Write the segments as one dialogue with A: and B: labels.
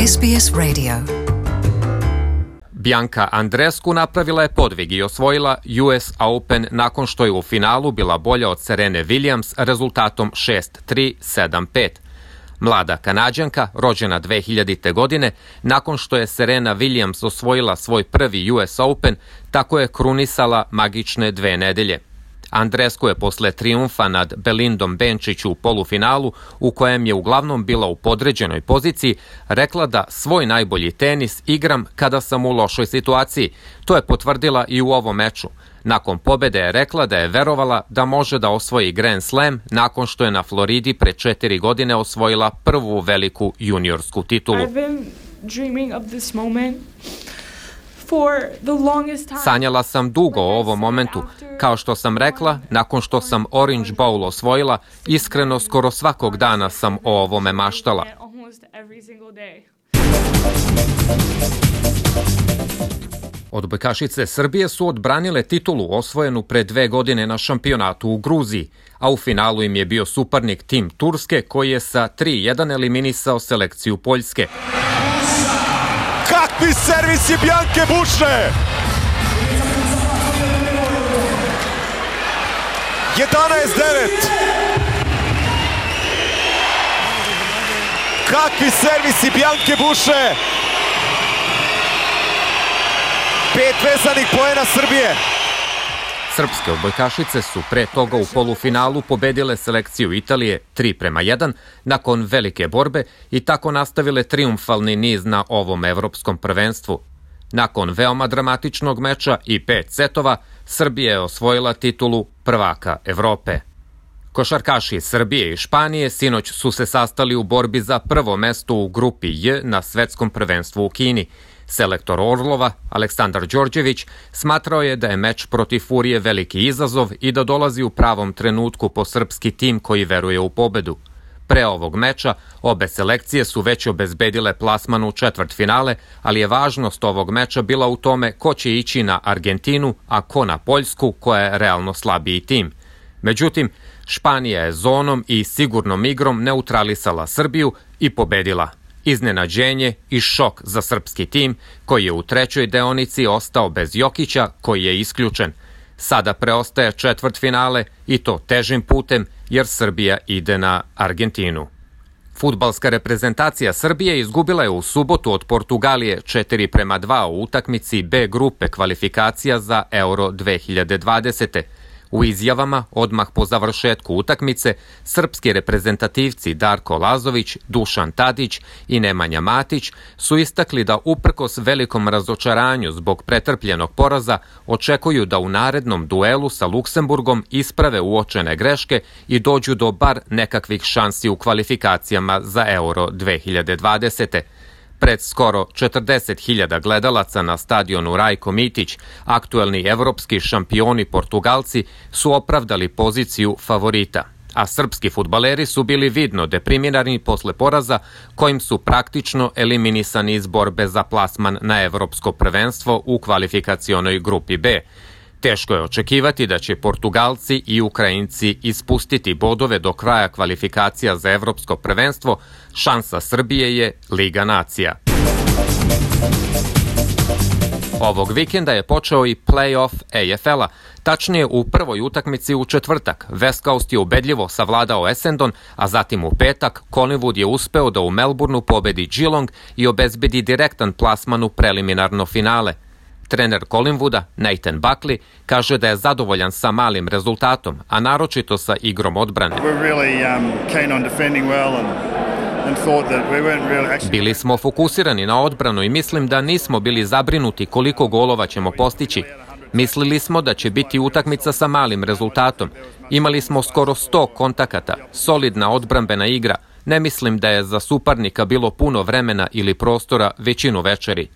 A: SBS Radio.
B: Bianca Andreescu napravila je podvig i osvojila US Open nakon što je u finalu bila bolja od Serene Williams rezultatom 6-3, 7-5. Mlada Kanađanka, rođena 2000. godine, nakon što je Serena Williams osvojila svoj prvi US Open, tako je krunisala magične 2 nedelje. Andreescu je posle trijumfa nad Belindom Bencic u polufinalu, u kojem je uglavnom bila u podređenoj poziciji, rekla da svoj najbolji tenis igram kada sam u lošoj situaciji. To je potvrdila i u ovom meču. Nakon pobede je rekla da je verovala da može da osvoji Grand Slam nakon što je na Floridi pre 4 godine osvojila prvu veliku juniorsku titulu. Sanjala sam dugo o ovom momentu. Kao što sam rekla, nakon što sam Orange Bowl osvojila, iskreno skoro svakog dana sam o ovome maštala. Odbojkašice Srbije su odbranile titulu osvojenu pre 2 godine na šampionatu u Gruziji, a u finalu im je bio suparnik tim Turske koji je sa 3-1 eliminisao selekciju Poljske.
C: Kakvi servis je Bianke Buše! 11-9! Kakvi servisi Bianke Buše! 5 vezanih poena Srbije!
B: Srpske odbojkašice su pre toga u polufinalu pobedile selekciju Italije 3-1 nakon velike borbe i tako nastavile trijumfalni niz na ovom evropskom prvenstvu. Nakon veoma dramatičnog meča i 5 setova, Srbija je osvojila titulu prvaka Evrope. Košarkaši Srbije i Španije sinoć su se sastali u borbi za prvo mesto u grupi J na svetskom prvenstvu u Kini. Selektor Orlova, Aleksandar Đorđević, smatrao je da je meč protiv Furije veliki izazov i da dolazi u pravom trenutku po srpski tim koji veruje u pobedu. Pre ovog meča obe selekcije su već obezbedile plasman u četvrtfinale, ali je važnost ovog meča bila u tome ko će ići na Argentinu, a ko na Poljsku, koja je realno slabiji tim. Međutim, Španija je zonom i sigurnom igrom neutralisala Srbiju i pobedila. Iznenađenje i šok za srpski tim koji je u trećoj deonici ostao bez Jokića koji je isključen. Sada preostaje četvrtfinale i to težim putem jer Srbija ide na Argentinu. Fudbalska reprezentacija Srbije izgubila je u subotu od Portugalije 4-2 u utakmici B grupe kvalifikacija za Euro 2020. U izjavama, odmah po završetku utakmice, srpski reprezentativci Darko Lazović, Dušan Tadić i Nemanja Matić su istakli da uprkos velikom razočaranju zbog pretrpljenog poraza očekuju da u narednom duelu sa Luksemburgom isprave uočene greške i dođu do bar nekakvih šansi u kvalifikacijama za Euro 2020. Pred skoro 40.000 gledalaca na stadionu Rajko Mitić, aktuelni evropski šampioni Portugalci su opravdali poziciju favorita, a srpski fudbaleri su bili vidno deprimirani posle poraza kojim su praktično eliminisani iz borbe za plasman na evropsko prvenstvo u kvalifikacionoj grupi B. Teško je očekivati da će Portugalci i Ukrajinci ispustiti bodove do kraja kvalifikacija za evropsko prvenstvo. Šansa Srbije je Liga nacija. Ovog vikenda je počeo i play-off AFL-a. Tačnije, u prvoj utakmici u četvrtak West Coast je ubedljivo savladao Essendon, a zatim u petak Collingwood je uspeo da u Melbourneu pobedi Geelong i obezbedi direktan plasman u preliminarno finale. Trener Collingwooda, Nathan Buckley, kaže da je zadovoljan sa malim rezultatom, a naročito sa igrom odbrane. Bili smo fokusirani na odbranu i mislim da nismo bili zabrinuti koliko golova ćemo postići. Mislili smo da će biti utakmica sa malim rezultatom. Imali smo skoro 100 kontakata, solidna odbrambena igra. Ne mislim da je za suparnika bilo puno vremena ili prostora većinu večeri.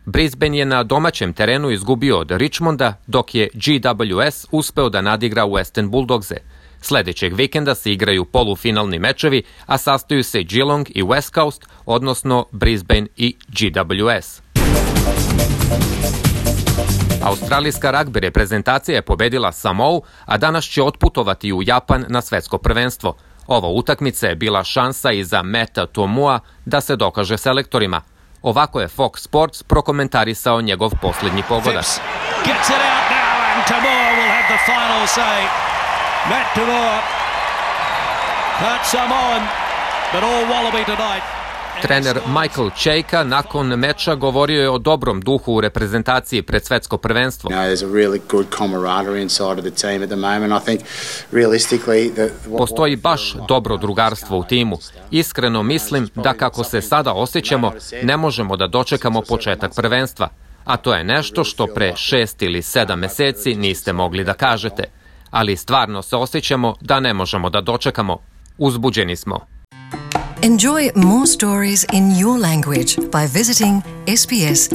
B: Brisbane je na domaćem terenu izgubio od Richmonda, dok je GWS uspeo da nadigra Western Bulldogse. Sledećeg vikenda se igraju polufinalni mečevi, a sastaju se Geelong i West Coast, odnosno Brisbane i GWS. Australijska ragbi reprezentacija je pobedila Samou, a danas će otputovati u Japan na svetsko prvenstvo. Ova utakmica je bila šansa i za Meta Tomua da se dokaže selektorima. Ovako je Fox Sports prokomentarisao njegov posljednji pogodak. Trener Michael Cheika nakon meča govorio je o dobrom duhu u reprezentaciji pred svetsko prvenstvo. Postoji baš dobro drugarstvo u timu. Iskreno mislim da kako se sada osjećamo, ne možemo da dočekamo početak prvenstva. A to je nešto što pre 6 ili 7 meseci niste mogli da kažete. Ali stvarno se osjećamo da ne možemo da dočekamo. Uzbuđeni smo.
A: Enjoy more stories in your language by visiting sbs.com.au.